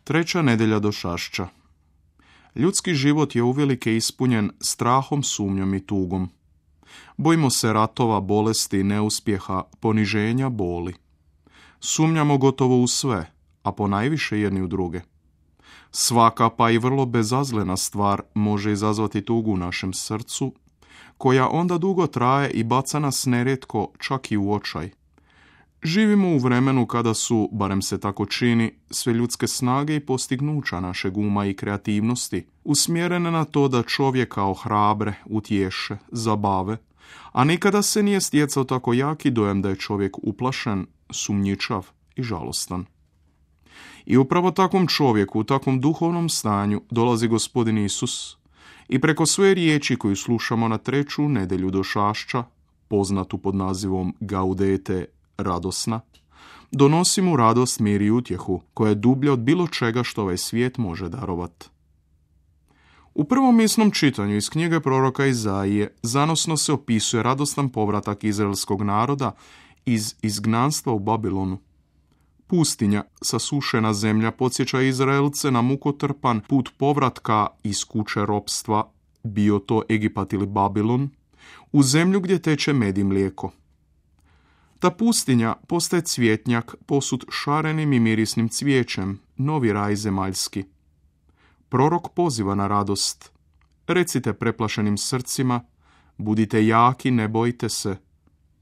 Treća nedjelja došašća. Ljudski život je uvelike ispunjen strahom, sumnjom i tugom. Bojimo se ratova, bolesti, neuspjeha, poniženja, boli. Sumnjamo gotovo u sve, a ponajviše jedni u druge. Svaka, pa i vrlo bezazlena stvar može izazvati tugu u našem srcu, koja onda dugo traje i baca nas nerijetko čak i u očaj. Živimo u vremenu kada su, barem se tako čini, sve ljudske snage i postignuća našeg uma i kreativnosti usmjerene na to da čovjeka ohrabre, utješe, zabave, a nikada se nije stjecao tako jaki dojam da je čovjek uplašen, sumnjičav i žalostan. I upravo takvom čovjeku, u takvom duhovnom stanju dolazi Gospodin Isus i preko svoje riječi koju slušamo na treću nedjelju došašća, poznatu pod nazivom Gaudete, radosna, donosi mu radost, mir i utjehu, koja je dublja od bilo čega što ovaj svijet može darovati. U prvom misnom čitanju iz knjige proroka Izaije zanosno se opisuje radostan povratak izraelskog naroda iz izgnanstva u Babilonu. Pustinja, sasušena zemlja, podsjeća Izraelce na mukotrpan put povratka iz kuće ropstva, bio to Egipat ili Babilon, u zemlju gdje teče med i mlijeko. Ta pustinja postaje cvjetnjak posut šarenim i mirisnim cvijećem, novi raj zemaljski. Prorok poziva na radost. Recite preplašenim srcima, budite jaki, ne bojte se,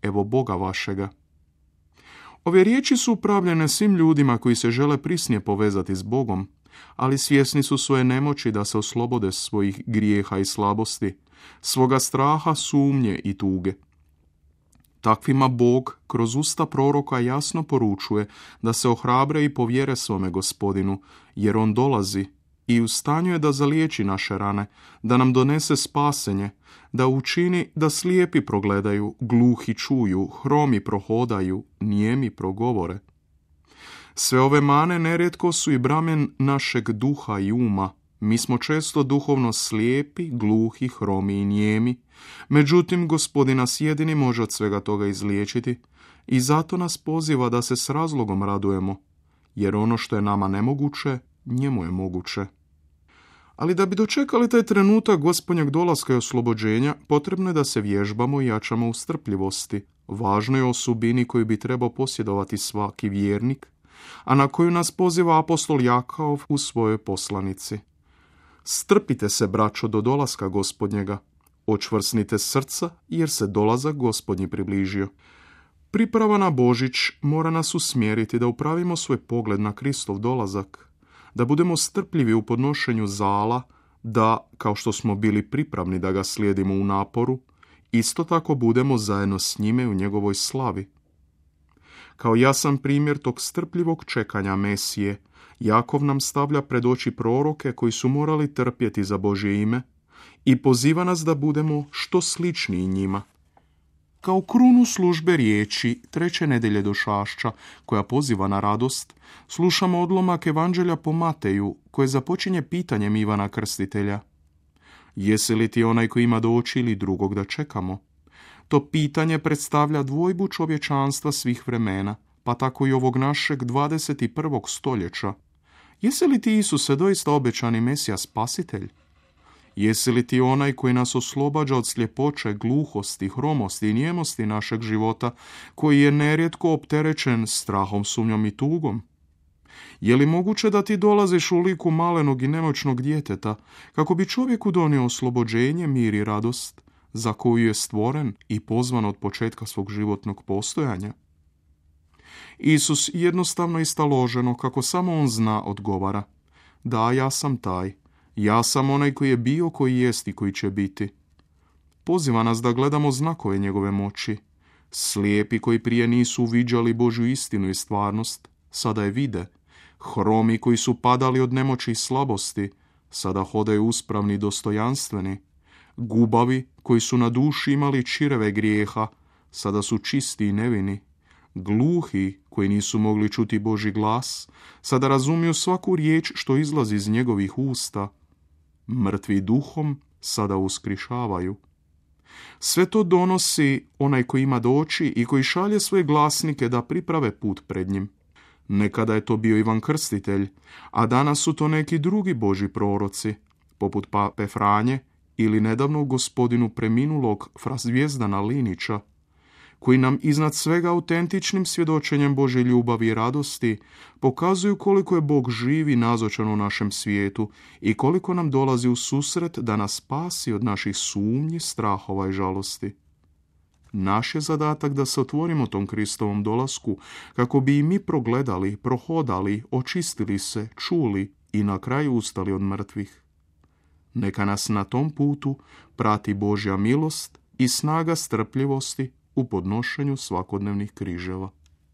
evo Boga vašega. Ove riječi su upravljene svim ljudima koji se žele prisnije povezati s Bogom, ali svjesni su svoje nemoći da se oslobode svojih grijeha i slabosti, svoga straha, sumnje i tuge. Takvima Bog kroz usta proroka jasno poručuje da se ohrabre i povjere svome Gospodinu, jer on dolazi i u stanju je da zaliječi naše rane, da nam donese spasenje, da učini da slijepi progledaju, gluhi čuju, hromi prohodaju, nijemi progovore. Sve ove mane nerijetko su i bramen našeg duha i uma. Mi smo često duhovno slijepi, gluhi, hromi i nijemi, međutim Gospodin nas jedini može od svega toga izliječiti i zato nas poziva da se s razlogom radujemo, jer ono što je nama nemoguće, njemu je moguće. Ali da bi dočekali taj trenutak Gospodnjeg dolaska i oslobođenja, potrebno je da se vježbamo i jačamo u strpljivosti, važnoj osobini koju bi trebao posjedovati svaki vjernik, a na koju nas poziva apostol Jakov u svojoj poslanici. Strpite se, braćo, do dolaska Gospodnjega. Očvrsnite srca, jer se dolazak Gospodnji približio. Priprava na Božić mora nas usmjeriti da upravimo svoj pogled na Kristov dolazak, da budemo strpljivi u podnošenju zala, da, kao što smo bili pripravni da ga slijedimo u naporu, isto tako budemo zajedno s njime u njegovoj slavi. Kao jasan primjer tog strpljivog čekanja Mesije, Jakov nam stavlja pred oči proroke koji su morali trpjeti za Božje ime i poziva nas da budemo što sličniji njima. Kao krunu službe riječi treće nedjelje došašća, koja poziva na radost, slušamo odlomak Evanđelja po Mateju, koje započinje pitanjem Ivana Krstitelja. Jesi li ti onaj koji ima doći ili drugog da čekamo? To pitanje predstavlja dvojbu čovječanstva svih vremena, pa tako i ovog našeg 21. stoljeća. Jesi li ti, Isuse, doista obećani Mesija spasitelj? Jesi li ti onaj koji nas oslobađa od sljepoće, gluhosti, hromosti i nijemosti našeg života, koji je nerijetko opterećen strahom, sumnjom i tugom? Je li moguće da ti dolaziš u liku malenog i nemoćnog djeteta, kako bi čovjeku donio oslobođenje, mir i radost, za koju je stvoren i pozvan od početka svog životnog postojanja? Isus jednostavno i staloženo, kako samo on zna, odgovara: da, ja sam taj. Ja sam onaj koji je bio, koji jest i koji će biti. Poziva nas da gledamo znakove njegove moći. Slijepi koji prije nisu uviđali Božju istinu i stvarnost, sada je vide. Hromi koji su padali od nemoći i slabosti, sada hodaju uspravni i dostojanstveni. Gubavi koji su na duši imali čireve grijeha, sada su čisti i nevini. Gluhi koji nisu mogli čuti Božji glas, sada razumiju svaku riječ što izlazi iz njegovih usta. Mrtvi duhom sada uskrišavaju. Sve to donosi onaj koji ima doći i koji šalje svoje glasnike da priprave put pred njim. Nekada je to bio Ivan Krstitelj, a danas su to neki drugi Božji proroci, poput pape Franje ili nedavno gospodinu preminulog fra Zvijezdana Linića, koji nam iznad svega autentičnim svjedočenjem Božje ljubavi i radosti pokazuju koliko je Bog živ i nazočan u našem svijetu i koliko nam dolazi u susret da nas spasi od naših sumnji, strahova i žalosti. Naš je zadatak da se otvorimo tom Kristovom dolasku kako bi i mi progledali, prohodali, očistili se, čuli i na kraju ustali od mrtvih. Neka nas na tom putu prati Božja milost i snaga strpljivosti u podnošenju svakodnevnih križeva.